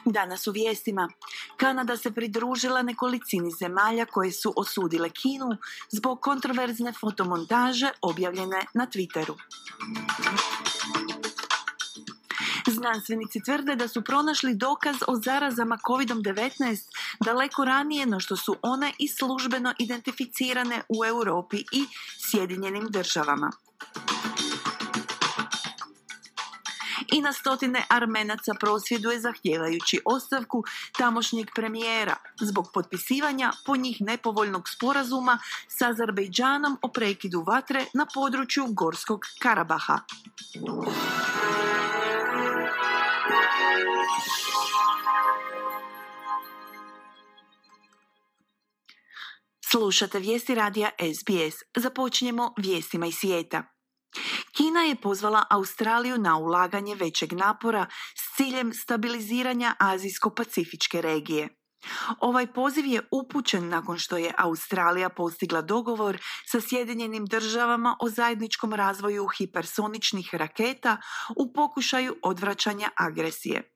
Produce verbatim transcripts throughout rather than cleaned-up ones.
Danas u vijestima. Kanada se pridružila nekolicini zemalja koje su osudile Kinu zbog kontroverzne fotomontaže objavljene na Twitteru. Znanstvenici tvrde da su pronašli dokaz o zarazama kovid devetnaest daleko ranije no što su one i službeno identificirane u Europi i Sjedinjenim državama. I na stotine Armenaca prosvjeduje zahtijevajući ostavku tamošnjeg premijera zbog potpisivanja po njih nepovoljnog sporazuma s Azerbejdžanom o prekidu vatre na području Gorskog Karabaha. Slušate vijesti radija S B S. Započinjemo vijestima iz svijeta. Kina je pozvala Australiju na ulaganje većeg napora s ciljem stabiliziranja azijsko-pacifičke regije. Ovaj poziv je upućen nakon što je Australija postigla dogovor sa Sjedinjenim državama o zajedničkom razvoju hipersoničnih raketa u pokušaju odvraćanja agresije.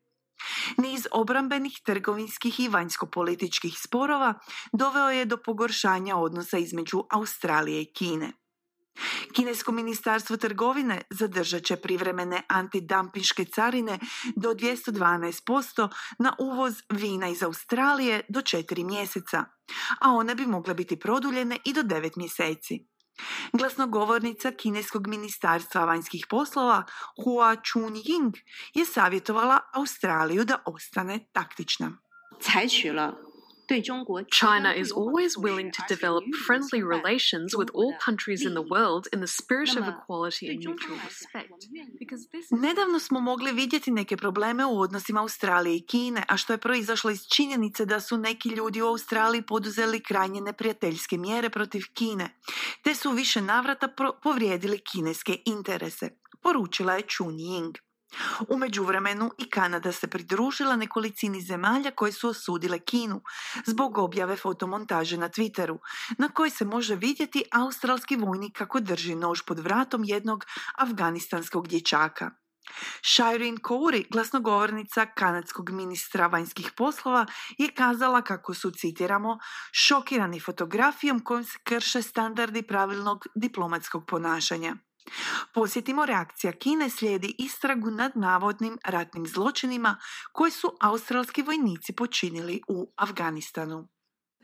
Niz obrambenih, trgovinskih i vanjskopolitičkih sporova doveo je do pogoršanja odnosa između Australije i Kine. Kinesko ministarstvo trgovine zadržat će privremene antidampinške carine do dvjesto dvanaest posto na uvoz vina iz Australije do četiri mjeseca, a one bi mogle biti produljene i do devet mjeseci. Glasnogovornica Kineskog ministarstva vanjskih poslova Hua Chunying je savjetovala Australiju da ostane taktična. China is always willing to develop friendly relations with all countries in the world in the spirit of equality and mutual respect. Nedavno smo mogli vidjeti neke probleme u odnosima Australije i Kine, a što je proizašlo iz činjenice da su neki ljudi u Australiji poduzeli krajnje neprijateljske mjere protiv Kine, te su više navrata pro- povrijedili kineske interese, poručila je Chunying. U međuvremenu i Kanada se pridružila nekolicini zemalja koje su osudile Kinu zbog objave fotomontaže na Twitteru, na kojoj se može vidjeti australski vojnik kako drži nož pod vratom jednog afganistanskog dječaka. Shireen Kouri, glasnogovornica kanadskog ministra vanjskih poslova, je kazala kako su, citiramo, šokirani fotografijom kojom se krše standardi pravilnog diplomatskog ponašanja. Posjetimo, reakcija Kine slijedi istragu nad navodnim ratnim zločinima koje su australski vojnici počinili u Afganistanu.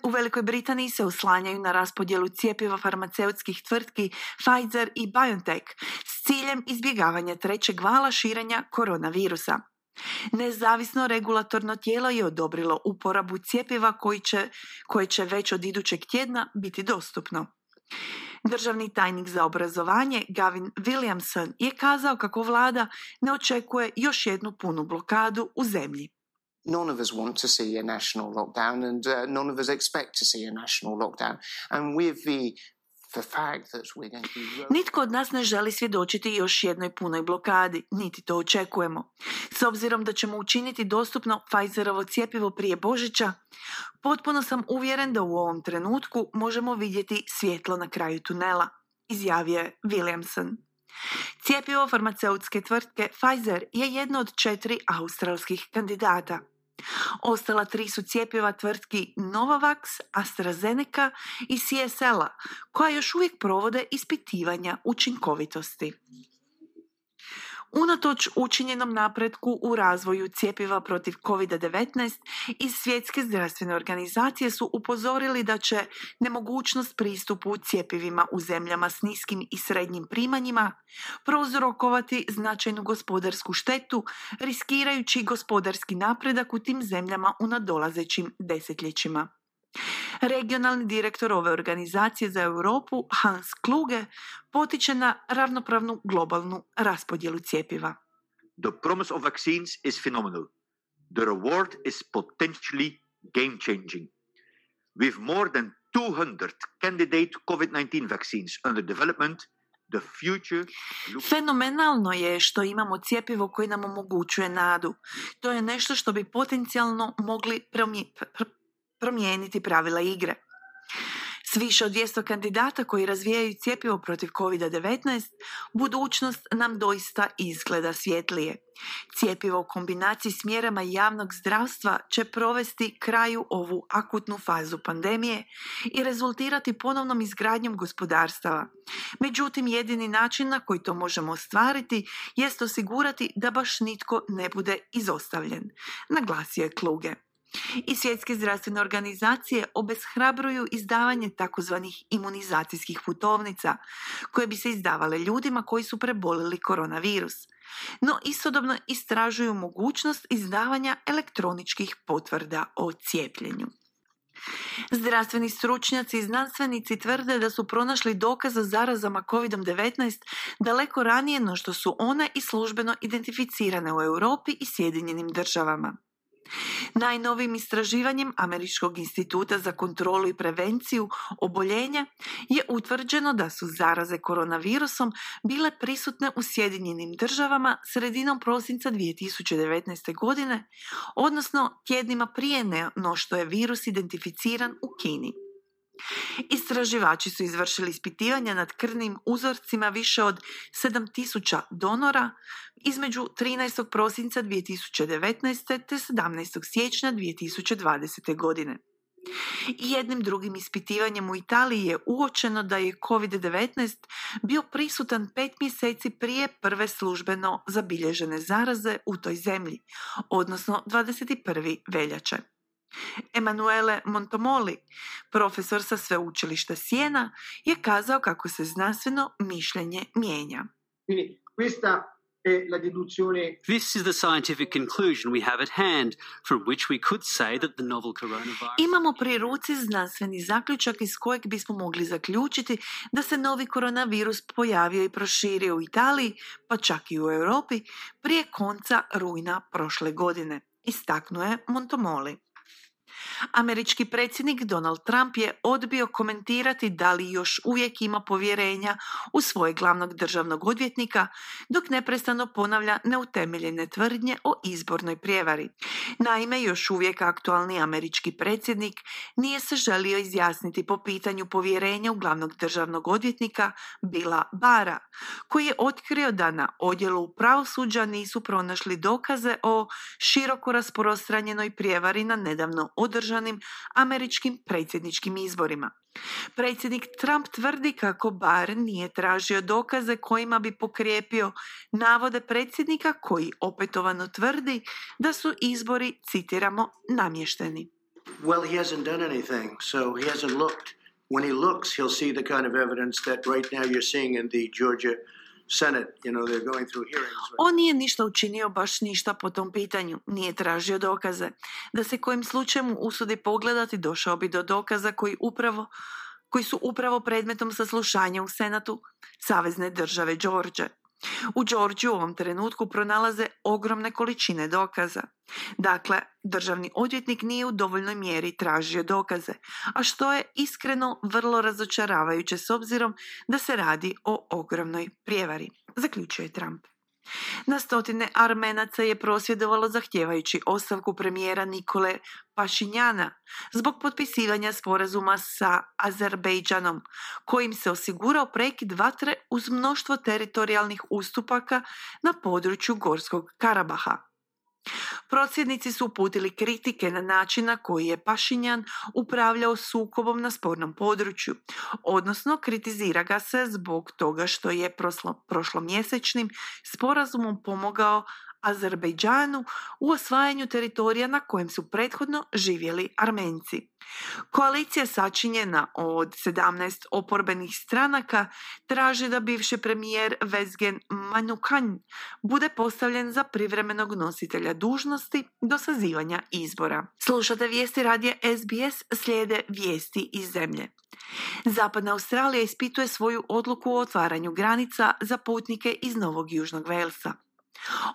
U Velikoj Britaniji se oslanjaju na raspodjelu cjepiva farmaceutskih tvrtki Pfizer i BioNTech s ciljem izbjegavanja trećeg vala širenja koronavirusa. Nezavisno regulatorno tijelo je odobrilo uporabu cjepiva koji će, koje će već od idućeg tjedna biti dostupno. Državni tajnik za obrazovanje Gavin Williamson je kazao kako vlada ne očekuje još jednu punu blokadu u zemlji. None of us want to see a national lockdown and uh, none of us expect to see a national lockdown. And with the the fact that we're going to be... Nitko od nas ne želi svjedočiti još jednoj punoj blokadi, niti to očekujemo. S obzirom da ćemo učiniti dostupno Pfizerovo cjepivo prije Božića, potpuno sam uvjeren da u ovom trenutku možemo vidjeti svjetlo na kraju tunela, izjavio je Williamson. Cjepivo farmaceutske tvrtke Pfizer je jedno od četiri australskih kandidata. Ostala tri su cjepiva tvrtki Novavax, AstraZeneca i C S L-a, koja još uvijek provode ispitivanja učinkovitosti. Unatoč učinjenom napretku u razvoju cjepiva protiv kovid devetnaest, iz Svjetske zdravstvene organizacije su upozorili da će nemogućnost pristupu cjepivima u zemljama s niskim i srednjim primanjima prouzrokovati značajnu gospodarsku štetu, riskirajući gospodarski napredak u tim zemljama u nadolazećim desetljećima. Regionalni direktor ove organizacije za Europu, Hans Kluge, potiče na ravnopravnu globalnu raspodjelu cjepiva. The promise of vaccines is phenomenal. The reward is potentially game-changing. With more than two hundred candidate covid nineteen vaccines under development, the future looks... Fenomenalno je što imamo cjepivo koje nam omogućuje nadu. To je nešto što bi potencijalno mogli promje- pr- promijeniti pravila igre. S više od dvjesto kandidata koji razvijaju cjepivo protiv kovid devetnaest, budućnost nam doista izgleda svjetlije. Cjepivo u kombinaciji s mjerama javnog zdravstva će provesti kraju ovu akutnu fazu pandemije i rezultirati ponovnom izgradnjom gospodarstava. Međutim, jedini način na koji to možemo ostvariti jest osigurati da baš nitko ne bude izostavljen, naglasio je Kluge. I svjetske zdravstvene organizacije obeshrabruju izdavanje takozvanih imunizacijskih putovnica koje bi se izdavale ljudima koji su prebolili koronavirus. No istodobno istražuju mogućnost izdavanja elektroničkih potvrda o cijepljenju. Zdravstveni stručnjaci i znanstvenici tvrde da su pronašli dokaz o zarazama kovid devetnaest daleko ranije no što su one i službeno identificirane u Europi i Sjedinjenim državama. Najnovijim istraživanjem Američkog instituta za kontrolu i prevenciju oboljenja je utvrđeno da su zaraze koronavirusom bile prisutne u Sjedinjenim državama sredinom prosinca dvije tisuće devetnaeste. godine, odnosno tjednima prije no što je virus identificiran u Kini. Istraživači su izvršili ispitivanja nad krvnim uzorcima više od sedam tisuća donora između trinaestog prosinca dvije tisuće devetnaeste. te sedamnaestog siječnja dvije tisuće dvadesete. godine. I jednim drugim ispitivanjem u Italiji je uočeno da je kovid devetnaest bio prisutan pet mjeseci prije prve službeno zabilježene zaraze u toj zemlji, odnosno dvadeset prvog veljače. Emanuele Montomoli, profesor sa sveučilišta Siena, je kazao kako se znanstveno mišljenje mijenja. This is the scientific conclusion we have at hand, from which we could say that the novel coronavirus... Imamo pri ruci znanstveni zaključak iz kojeg bismo mogli zaključiti da se novi koronavirus pojavio i proširio u Italiji, pa čak i u Europi, prije konca rujna prošle godine, istaknuo je Montomoli. Američki predsjednik Donald Trump je odbio komentirati da li još uvijek ima povjerenja u svojeg glavnog državnog odvjetnika, dok neprestano ponavlja neutemeljene tvrdnje o izbornoj prijevari. Naime, još uvijek aktualni američki predsjednik nije se želio izjasniti po pitanju povjerenja u glavnog državnog odvjetnika Billa Barra, koji je otkrio da na odjelu pravosuđa nisu pronašli dokaze o široko rasprostranjenoj prijevari na nedavno održanim američkim predsjedničkim izborima. Predsjednik Trump tvrdi kako Barr nije tražio dokaze kojima bi pokrijepio navode predsjednika koji opetovano tvrdi da su izbori, citiramo, namješteni. Well, he hasn't done anything, so he hasn't looked. When he looks, he'll see the kind of evidence that right now you're seeing in the Georgia Senate, you know, they're going through hearings. On nije ništa učinio, baš ništa po tom pitanju. Nije tražio dokaze. Da se kojim slučajem usudi pogledati, došao bi do dokaza koji upravo koji su upravo predmetom saslušanja u Senatu Savezne države Georgia. U Georgiji u ovom trenutku pronalaze ogromne količine dokaza. Dakle, državni odvjetnik nije u dovoljnoj mjeri tražio dokaze, a što je iskreno vrlo razočaravajuće s obzirom da se radi o ogromnoj prijevari, zaključuje Trump. Na stotine Armenaca je prosvjedovalo zahtijevajući ostavku premijera Nikole Pašinjana zbog potpisivanja sporazuma sa Azerbejdžanom, kojim se osigurao prekid vatre uz mnoštvo teritorijalnih ustupaka na području Gorskog Karabaha. Prosvjednici su uputili kritike na način na koji je Pašinjan upravljao sukobom na spornom području, odnosno kritizira ga se zbog toga što je proslo, prošlomjesečnim sporazumom pomogao Azerbejdžanu u osvajanju teritorija na kojem su prethodno živjeli Armenci. Koalicija sačinjena od sedamnaest oporbenih stranaka traži da bivši premijer Vezgen Manukan bude postavljen za privremenog nositelja dužnosti do sazivanja izbora. Slušate vijesti radija S B S, slijede vijesti iz zemlje. Zapadna Australija ispituje svoju odluku o otvaranju granica za putnike iz Novog Južnog Velsa.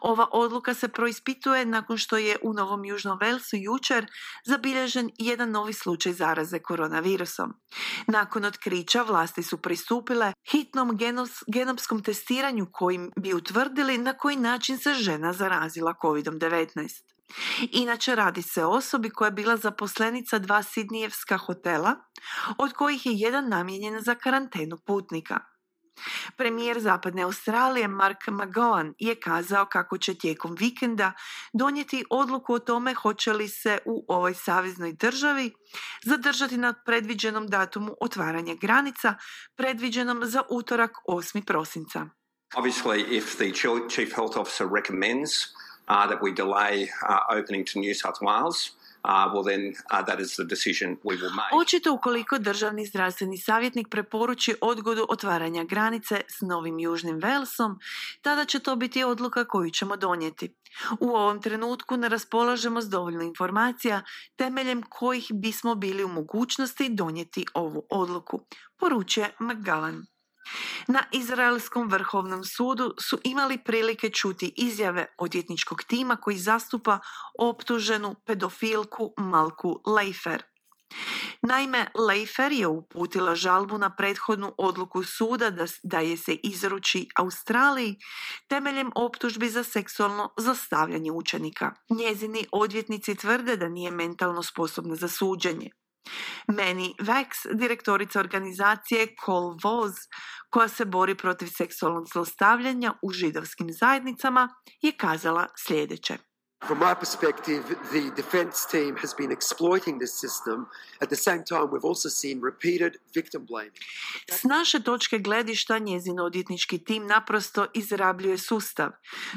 Ova odluka se proispituje nakon što je u Novom Južnom Walesu jučer zabilježen jedan novi slučaj zaraze koronavirusom. Nakon otkrića vlasti su pristupile hitnom genos, genopskom testiranju kojim bi utvrdili na koji način se žena zarazila covid devetnaest. Inače radi se o osobi koja je bila zaposlenica dva sidnijevska hotela, od kojih je jedan namijenjen za karantenu putnika. Premijer Zapadne Australije Mark McGowan je kazao kako će tijekom vikenda donijeti odluku o tome hoće li se u ovoj saveznoj državi zadržati na predviđenom datumu otvaranja granica, predviđenom za utorak osmog prosinca. Obviously, if the Chief Health Officer recommends uh, that we delay uh, opening to New South Wales, Uh, well then uh, that is the decision we will make. Očito ukoliko državni zdravstveni savjetnik preporuči odgodu otvaranja granice s Novim Južnim Walesom, tada će to biti odluka koju ćemo donijeti. U ovom trenutku ne raspolažemo s dovoljno informacija temeljem kojih bismo bili u mogućnosti donijeti ovu odluku, poručuje McGowan. Na izraelskom vrhovnom sudu su imali prilike čuti izjave odvjetničkog tima koji zastupa optuženu pedofilku Malku Leifer. Naime, Leifer je uputila žalbu na prethodnu odluku suda da, da je se izruči Australiji temeljem optužbi za seksualno zlostavljanje učenika. Njezini odvjetnici tvrde da nije mentalno sposobna za suđenje. Manny Vax, direktorica organizacije Call Voz, koja se bori protiv seksualnog zlostavljanja u židovskim zajednicama, je kazala sljedeće. From my perspective, the defense team has been exploiting this system. At the same time, we've also seen repeated victim blaming. S naše točke gledišta njezin odvjetnički tim naprosto izrabljuje sustav,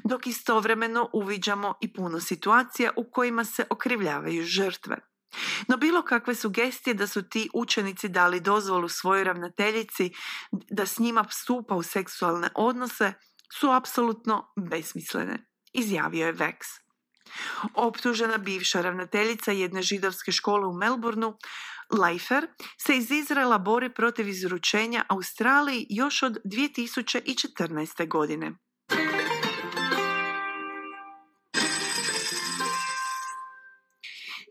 dok istovremeno uviđamo i puno situacija u kojima se okrivljavaju žrtve. No bilo kakve sugestije da su ti učenici dali dozvolu svojoj ravnateljici da s njima stupa u seksualne odnose su apsolutno besmislene, izjavio je Vax. Optužena bivša ravnateljica jedne židovske škole u Melbourneu, Leifer, se iz Izraela bori protiv izručenja Australiji još od dvije tisuće četrnaeste. godine.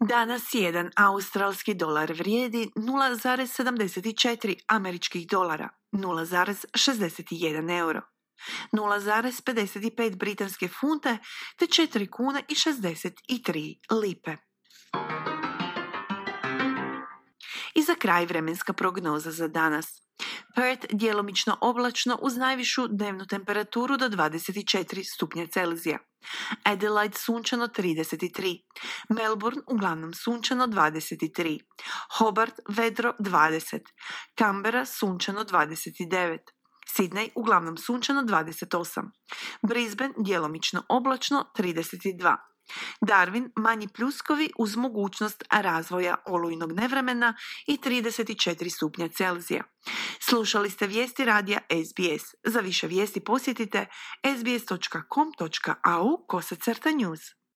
Danas jedan australski dolar vrijedi nula zarez sedamdeset četiri američkih dolara, nula zarez šezdeset jedan euro, nula zarez pedeset pet britanske funte te četiri kune i šezdeset tri lipe. I za kraj vremenska prognoza za danas. Perth djelomično oblačno uz najvišu dnevnu temperaturu do dvadeset četiri stupnja Celzija. Adelaide sunčano trideset tri. Melbourne uglavnom sunčano dvadeset tri. Hobart vedro dvadeset. Canberra sunčano dvadeset devet. Sydney uglavnom sunčano dvadeset osam. Brisbane djelomično oblačno trideset dva. Darwin manji pljuskovi uz mogućnost razvoja olujnog nevremena i trideset četiri stupnja Celzija. Slušali ste vijesti radija S B S. Za više vijesti posjetite s b s dot com dot a u kosacrta news.